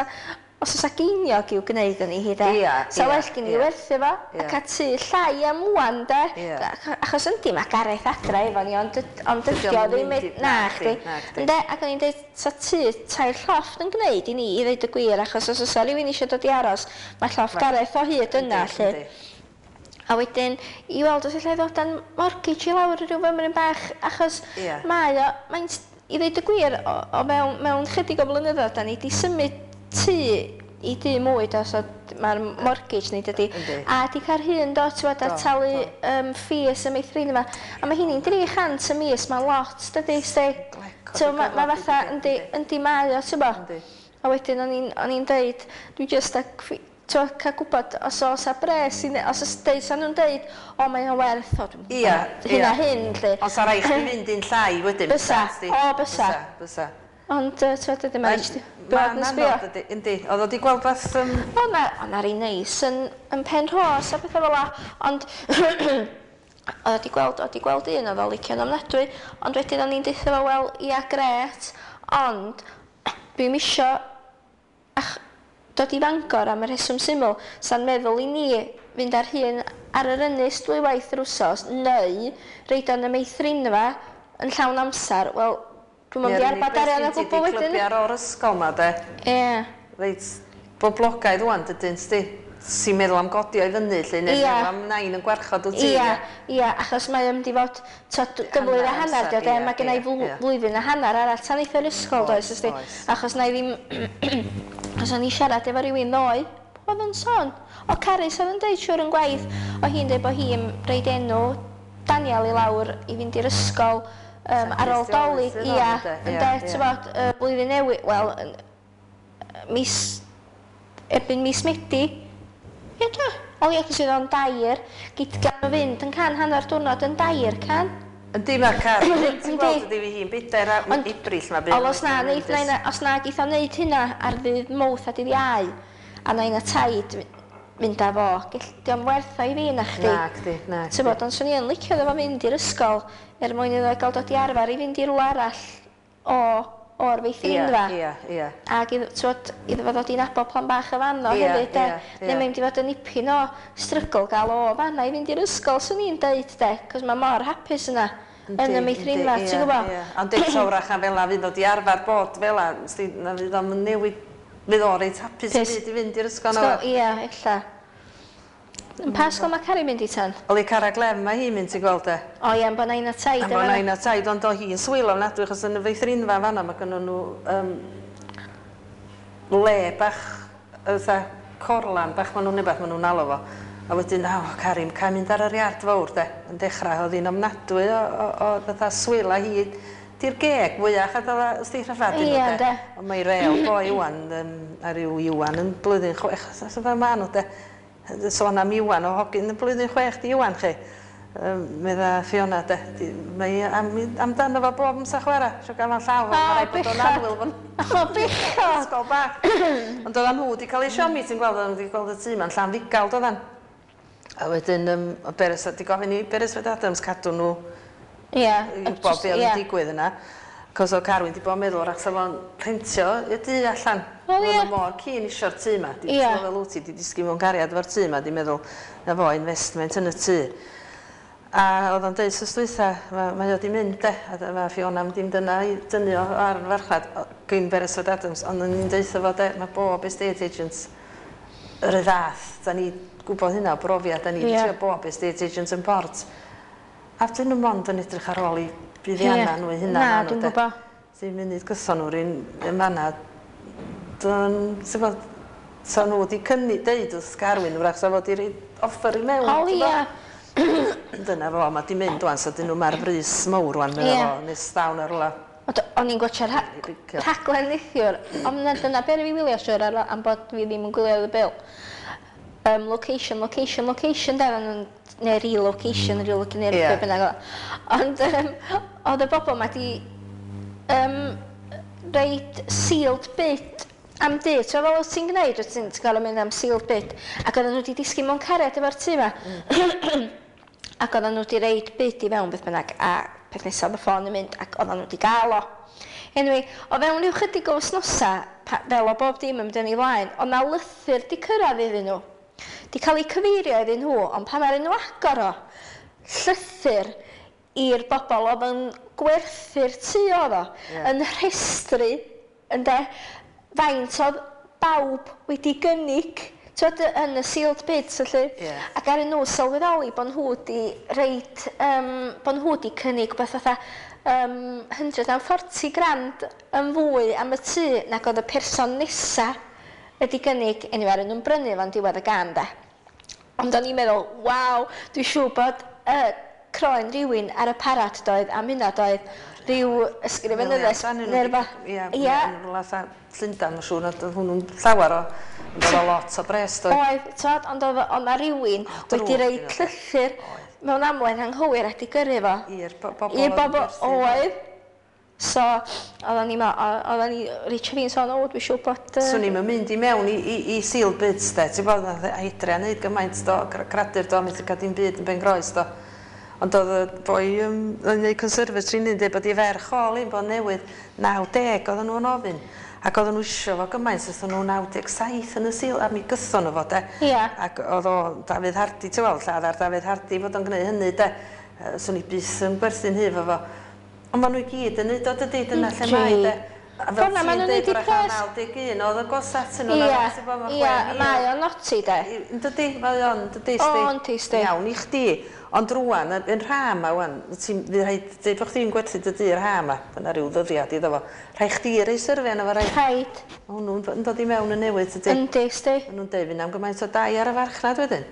os oes geiniog i'w gwneud yn ei hi de. Ia, Sa ia, well gen i ia. werthu fo, Ia. a cael tŷ llai am ŵan de. Ia. Ach- Achos yndi, mae Gareth adra efo ni, ond dyd- ond Dydi dydi o o'm yn ddim... mynd i- Na, na chdi. chdi, na chdi. Ynde, ac o'n i'n deud, sa tŷ tair llofft yn gwneud i ni, i ddeud y gwir, achos os oes rhywun eisiau dod i aros, mae llofft Gareth o hyd yna, Yndi, lle. yndi. A wedyn, i weld os allai ddod â'n mortgage i lawr rhyw fymryn bach, achos Ie. mae o, mae'n, i ddweud y gwir, o, o mewn, mewn chydig o blynyddoedd, da ni di symud tŷ i dŷ mwy, do, so mae'r mortgage ni dydi. Yndi. A di cael hun, do, ti'n gwbod, a Do, talu do. um, fees y meithrin yma. A mae hynny'n dri chant y mis, mae'n lot, dydi, sti. Glecod So, y mae ma gorfod, fatha, yndi, yndi, yndi mae o, ti'n gwbod. Yndi. A wedyn o'n i'n o'n i'n deud, dwi jyst a t'wo, cael gwybod os oes a bres i ne- os oes deud, sa nhw'n deud, o mae o'n werth o, dwi'm yn Ia, gwbod, hyn a ia. hyn, lly. Ond sa rai chdi fynd un llai wedyn. Bysa, sti? o, bysa. Bysa, bysa. Ond, yy, t'wo, dydy mae'n jyst bod Ma'n yn sbio. anodd, ydi, yndi. Oedd o di gweld fath... Um, O na, o na rei neis yn, yn pen rhos a pethau fel la, ond oedd o di gweld, oedd di gweld un oedd o licio'n ofnadwy, ond wedyn o'n i'n deutha fo, wel, ia, gret, ond dwi'm isio ach, dod i Fangor am y rheswm syml, sa'n meddwl i ni fynd ar hun ar yr ynys dwywaith yr wsos, neu reid o'n y meithrinfa yn llawn amser, wel, dwi'm yn mynd i arbad arian o gwbl wedyn. Clybiau o'r ysgol ma, de. Ie. Reit, boblogaidd ŵan, dydyn, sti. Sy'n meddwl am godi o'i fyny, lle, neu Ia. meddwl am nain yn gwarchod wyt ti. Ia, ia, achos mae o'n mynd i fod t'o, d- gyflwydd a hanner, amser, dio, de, ia, mae gen i ia, flw- ia. flwyddyn a hanner arall tan eith yr ysgol, does, Oes, ysdi? oes. Achos na i ddim, achos o'n i siarad efo rhywun ddoe, oedd yn sôn? O Carys oedd yn deud siwr yn gwaith, o hi'n deud bod hi'n reid enw Daniel i lawr i fynd i'r ysgol um, ar ôl Dolig, Sydd on, ia, ynde? ynde, Ia, ia. t'bod, y blwyddyn newydd, wel, yn- mis, erbyn mis Medi, ie do, o ie, cos oedd o'n dair, gyd gan o fynd yn can hanner diwrnod yn dair can. Yndi, mae'r car. Ti'n Yndi. gweld ydi fi hi'n bedair a Ond- Ebrill ma bydd. Ond os na, neith, na, na, os na geith o wneud hynna ar ddydd Mawrth a dydd Iau, a nain a taid mynd â fo, gell, dio'm werth o i fi na chdi. Na, chdi, na. Ti'n bod, ond swn i yn licio iddo fo fynd i'r ysgol er mwyn iddo gael dod i arfer i fynd i rywle arall o, o'r Ia, feithrinfa. ia, ia. Ac iddo, t'wod, iddo fo ddod i nabod plan bach y fan o Ie, hefyd, de. ie, ie. Neu mae'n mynd i fod yn nipyn o strygl gael o fanna i fynd i'r ysgol, swn i'n deud, de, cos mae mor hapus yna yn y meithrinfa, Yndi, ti'n ie, gwybod? ie. Ond eto wrach am fela fydd o di arfer bod fela, sti, na fydd o'n newid, fydd o reit hapus Pys. i fyd i fynd i'r ysgol na. Ysgol, ia, ella. Yn pa ysgol mae Cari mynd i tan? Oli Cara Glem mae hi'n mynd i gweld e. O ie, yn bod nain a taid. Am bod nain a taid, ond o hi'n swilo ofnadwy, achos yn y feithrinfa fanna mae gynnon nhw um, le bach, fatha corlan bach, maen nhw'n rhywbeth maen nhw'n alw fo. A wedyn, o, Cari, cael mynd ar yr iard fawr, de, yn dechrau, oedd hi'n ofnadwy o, o, o fatha swil a hi, di'r geg fwyach a dda, ysdi rhyfedd Ie, nhw, de. ynde. Ond mae real boi ŵan, um, a ryw Iwan yn blwyddyn chwech, so fel ma nhw, de. Sôn am Iwan o hogyn yn blwyddyn chwech, di Iwan chi. Um, medda Fiona, de, di, mae am, amdano fo bob amser chwarae, isio gael o'n llaw, O, mae rhaid bod o'n bechod. annwyl fo'n O, bechod! ysgol bach. Ond oeddan nhw wedi cael eu siomi, ti'n gweld, oeddan nhw wedi gweld y tŷ ma'n Llanfugal, doeddan. A wedyn, um, o Beres, di gofyn i Beresford Adams cadw nhw Ie. i wybod be oedd Ie. yn digwydd yna. Cos oedd Carwyn di bod yn meddwl wrach sa fo'n rhentio y dŷ allan. O, ie. Oedd mor keen isio'r tŷ ma. Di Ie. fel wyt ti, di disgyn mewn cariad efo'r tŷ ma, di meddwl na fo investment yn y tŷ. A oedd o'n deud wsos dwytha, mae, mae o di mynd de, a dy- mae Fiona am dim dyna i dynnu o ar y farchnad, o- gyn Beresford Adams, ond o'n i'n deutha fo de, mae bob estate agent yr un fath, da ni gwybod hynna o brofiad, da ni Ie. yeah. trio bob estate agent yn port. A dyn nhw mond yn edrych ar ôl i buddianna Ie. nhw eu hunain. Na, ma' nhw, dwi'n de. gwbod. Ti'n munud gyson nhw'r un yn fanna. Dyn, ti'n gwbod, sa nhw wedi cynnig deud wrth Carwyn, wrach sa fo wedi rhoi offer i mewn. O, ti'n ia. gwbod? Dyna fo, mae di mynd wan, so dyn nhw ma'r brys mawr wan, Ie. medda fo, nes dawn ar rwla. Ond o'n i'n gwatsio'r rhaglen neithiwr, ond dyna be fi wylio siwr ar, am bod fi ddim yn gwylio The Bill. Um, location, location, location, de, neu relocation, mm. relocation, neu yeah. bynnag oedd. Ond um, oedd y bobl ma di um, reit sealed bid am dŷ. Ti'n fel o't ti'n gwneud, o't ti'n gael mynd am sealed bid. Ac oedden nhw wedi disgyn mewn cariad efo'r tŷ ma. Mm. Ac oedden nhw wedi reid bid i fewn beth bynnag, a peth nesaf oedd y ffôn yn mynd, ac oedden nhw wedi gael o. Anyway, o fewn rhyw chydig o wythnosa, fel o bob dim yn mynd yn ei flaen, oedd na lythyr di cyrraedd iddyn nhw. Di cael ei cyfeirio iddyn nhw, ond pan maen nhw agor o, llythyr i'r bobl oedd yn gwerthu'r tŷ oedd o, yeah. yn rhestru, ynde, faint oedd bawb wedi gynnig, twyd, yn y sealed bids, felly. Yeah. Ac ar nhw sylweddoli bod nhw wedi reit, um, bod nhw wedi cynnig beth fatha um, one hundred forty grand yn fwy am y tŷ nag oedd y person nesa wedi gynnig. Anyway, ar nhw'n brynu fo'n diwedd y gan, de. Ond o'n i'n meddwl, waw, dwi'n siŵr bod uh, croen rhywun ar y parad doedd, am hynna doedd, rhyw ysgrifenyddes neu rywbeth. Ie, ie. Llundain, mae'n siŵr, nad oedd hwnnw'n llawer o, ond oedd o lot o bres, doedd. Oedd, twod, ond oedd oedd 'na rywun wedi rhoi llythyr mewn amlen anghywir a 'di gyrru fo. I'r bobl. I'r bobl, oedd. So, oedden ni, oedden ni, Richard fi'n sôn, o, dwi'n siŵr bod... Uh... Swn i'n mynd i mewn i, i, i sealed bids, de, ti'n bod, Adrian neud gymaint do, cradur do, methu cael dim byd yn ben groes, do. Ond oedd y boi um, yn neud conservatory yn dweud bod i ferch ôl un bod newydd naw deg oedden nhw'n ofyn. Ac oedden nhw isio fo gymaint, oedden nhw naw deg saith yn y seal, a mi gython nhw fo, de. Ia. Ac oedd o Dafydd Hardy, ti'n weld, lladd ar Dafydd Hardy fod o'n gwneud hynny, de. Swn i byth yn gwerthu'n hy fo fo. Ond maen nhw i gyd yn neud o, dydy, dyna lle mae, de. A fel ti'n dweud, wrach naw deg un oedd y gosat yn nhw. Ia, ia, mae o'n naughty, de. Dydy, mae o'n, dydy, sti. O, yndi, sti. Iawn i chdi. Ond rwan, yn rha ma, wan, ti'n fydd rhaid, dweud bod chdi'n gwerthu dy dŷ yr ha ma, dyna rhyw ddyddiad iddo fo. Rhaid chdi rei syrfi arno fo, rhaid. Rhaid. Hwnnw'n yn dod i mewn yn newydd, dydy. Yndi, sti. Maen nhw'n deud fynd am gymaint o dai ar y farchnad wedyn.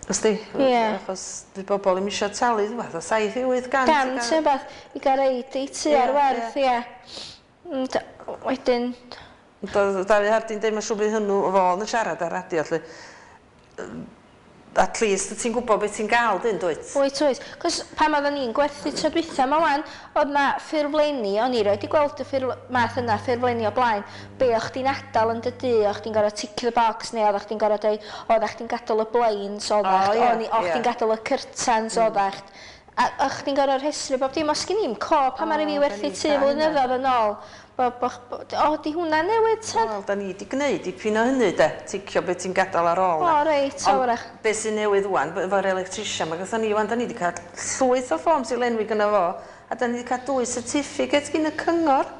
Ysdi? Ie. Achos di bobl ddim eisiau talu, fath o saith i wyth gant. Gant, neu beth, i gael reid i tŷ ar werth, ie. Ond wedyn... Doedd Dafydd Hardy'n deud, mae'n siŵr bydd hwnnw o fo yn siarad ar radio, lle. At least ti'n gwybod beth ti'n gael, dyn, dwyt? Wyt, wyt. Cos pan oedden ni'n gwerthu tro dwytha ma wan, oedd na ffurflenni, o'n i roed i gweld y ffurf, math yna ffurflenni o blaen, be o'ch chdi'n adael yn dy dŷ, o'ch chdi'n gorfod tick the box, neu oeddach chdi'n gorfod dweud, oeddach chdi'n gadael y blinds, oeddach, O, ie, o'n i- o'ch chdi'n ie. gadael y curtains, oeddach. A o'ch chdi'n gorfod rhestru bob dim, os gen i'm co, pan O, ma'n fi da werthu ni tŷ 'di cael hynna. flynyddoedd yn ôl, bo, bo, bo, o, di hwnna newydd, tad? Wel, da ni wedi gwneud dipyn o hynny, de. Ticio beth ti'n gadael ar ôl. O, na. reit, o, Ond wrach. be sy'n newydd wan, efo'r electrician, mae gyda ni wan, da ni wedi cael llwyth o forms i lenwi gyda fo, a da ni wedi cael dwy certificate gyn y cyngor.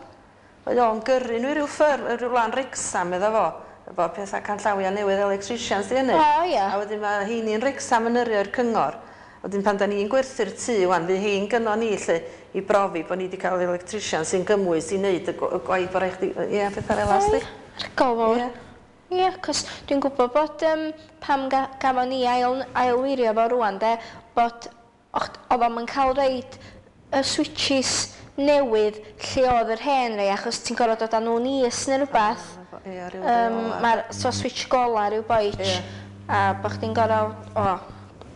Mae o'n gyrru nhw i ryw ffyrm, ryw lan Wrecsam iddo fo, efo pethau canllawia newydd electricians di hynny. O, ie. A wedyn mae heini'n Wrecsam yn yrru o'r cyngor. Wedyn pan da ni'n gwerthu'r tŷ wan, fydd hein gynno ni lle i brofi bod ni wedi cael electrician sy'n gymwys i wneud y gw- y gwaith bod rhaid chdi, ie, pethau fel 'na, sti. Rgol fawr. Ie. Ie, cos dwi'n gwybod bod um, pam ga, gafon ni ail, ailwirio fo rwan, de, bod och- oedd o'm yn cael reid y switches newydd lle oedd yr hen rei, achos ti'n gorfod dod â nhw'n is neu rhywbeth. Ie, ryw Um, reola. Mae'r so switch gola rhyw boich, Ie. a bod chdi'n gorfod, o,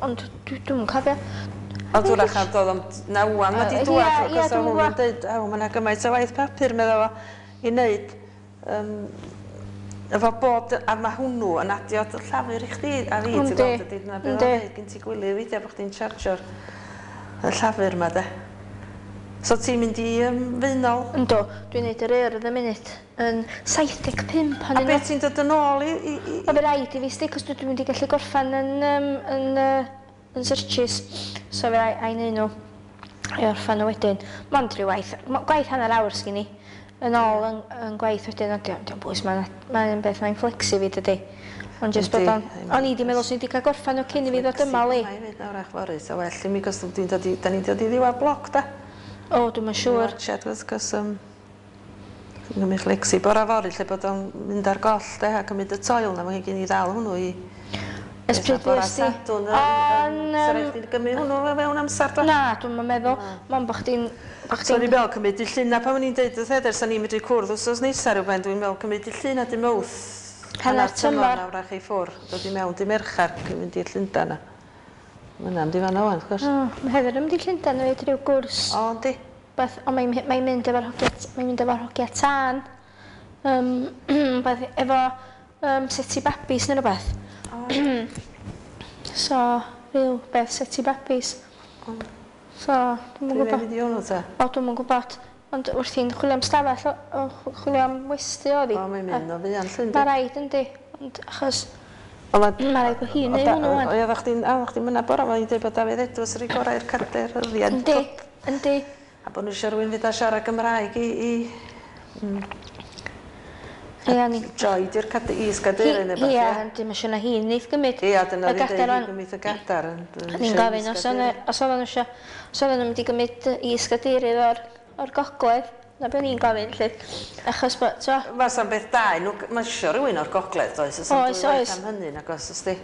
ond dwi- dwi'm yn cofio. Ond wrach am dod am, na wan, mae di Yy, dŵad, ie, ie, achos dwi'm o'n yn nhw'n gwbod. dweud, aw, mae yna gymaint o waith papur, meddwl fo, i wneud. Um, efo bob, a mae hwnnw yn adio llafur i chdi a fi, ti'n Yndi, gweld, ydy, dyna beth yndi. o'n dweud, gen ti gwyliau weithiau bod chdi'n chargio'r y llafur ma, de. So ti'n mynd i um, Faenol? Yndw, dwi'n neud yr Urdd y munud yn saith deg pump A ohonyn nhw. beth ti'n dod yn ôl i... i, i... O, fe raid i fi sti, cos dwi mynd i gallu gorffan yn, um, yn, uh, yn searches. So fe rai, a'i neud nhw i orffan nhw wedyn. Mond rhyw waith, mo- gwaith hanner awr sgyn i. Yn ôl yn, yn gwaith wedyn, ond diolch bwys, mae'n mae'n beth mae'n flexi fi dydy. Ond jyst bod Yndi, o'n... O'n i di meddwl swn i wedi cael gorffan nhw cyn i fi ddod yma, li. Mae i fynd nawr ach fory, so well i mi, cos dwi'n dod i, da ni'n dod i ddiwedd bloc, da. O, dwi'm yn siŵr. Watched, cos, cos, um, dwi'n gymryd flexi bora fory, lle bod o'n mynd ar goll, de, a cymryd y toil na, mae gen i ddal hwnnw i. Ers pryd Bora fues di? Sadwrn, O'n, Sa yym, raid chdi gymryd hwnnw fewn amser, do? Na, dwi'm yn meddwl. Mond bo' chdi'n... Bo So o'n chdi'n i'n meddwl cymryd i llun, a pan o'n i'n deud wrth Heather, sa'n ni'n medru cwrdd wsos nesa rhywben, dwi'n meddwl cymryd i llun a dim mowth. Hanner tymor. Nawr ach i ffwr, dod i mewn di Merchar, cyn mynd i'r Llundan na. Ma' hynna'n mynd i fan'na ŵan, wrth gwrs. O, mae Heather yn mynd i Llundain hefyd, rhyw gwrs. O, yndi. Beth, ond mae'n mae mynd efo'r hogia, mae'n mynd efo'r hogia tân. Um, beth, efo um, seti babis neu rhywbeth. So, rhyw beth seti babis. So, dwi'm yn Dwi'n gwybod. mynd i hwnnw ta. O, dwi'm yn gwybod. Ond wrth i'n chwilio am stafell, o, o, chwilio am westy oedd hi. O, mae'n mynd o fuan llyn, Mae rhaid, yndi. Ond achos, O, ma- mae rhaid bod hi'n o, neud da- hwnnw wan. O, ie, oeddech chdi'n, a, oeddech chdi'n mynna bora, mae'n dweud bod Dafydd Edwards yr i gorau i'r cader hyrddiad. Yndi, yndi. A bod nhw eisiau rhywun fydd â siarad Gymraeg i, i Ia, ni. Joy di'r cade, is-gadeirydd neu beth, Ia, ie? yndi, mae'n siŵr na hi'n neith gymryd. Ia, dyna y fi'n gadair deud, wan. hi'n gymryd y gadar. O'n i'n gofyn os o'n os oedden nhw isio, os oedden nhw'n mynd i gymryd is-gadeirydd o'r, o'r gogledd. Na be o'n i'n gofyn, lly. Achos bod, t'o, Fasa'n beth da, i nhw, mae isio rhywun o'r gogledd, does? Oes, Oes, oes. Am hynny, nag oes, os di.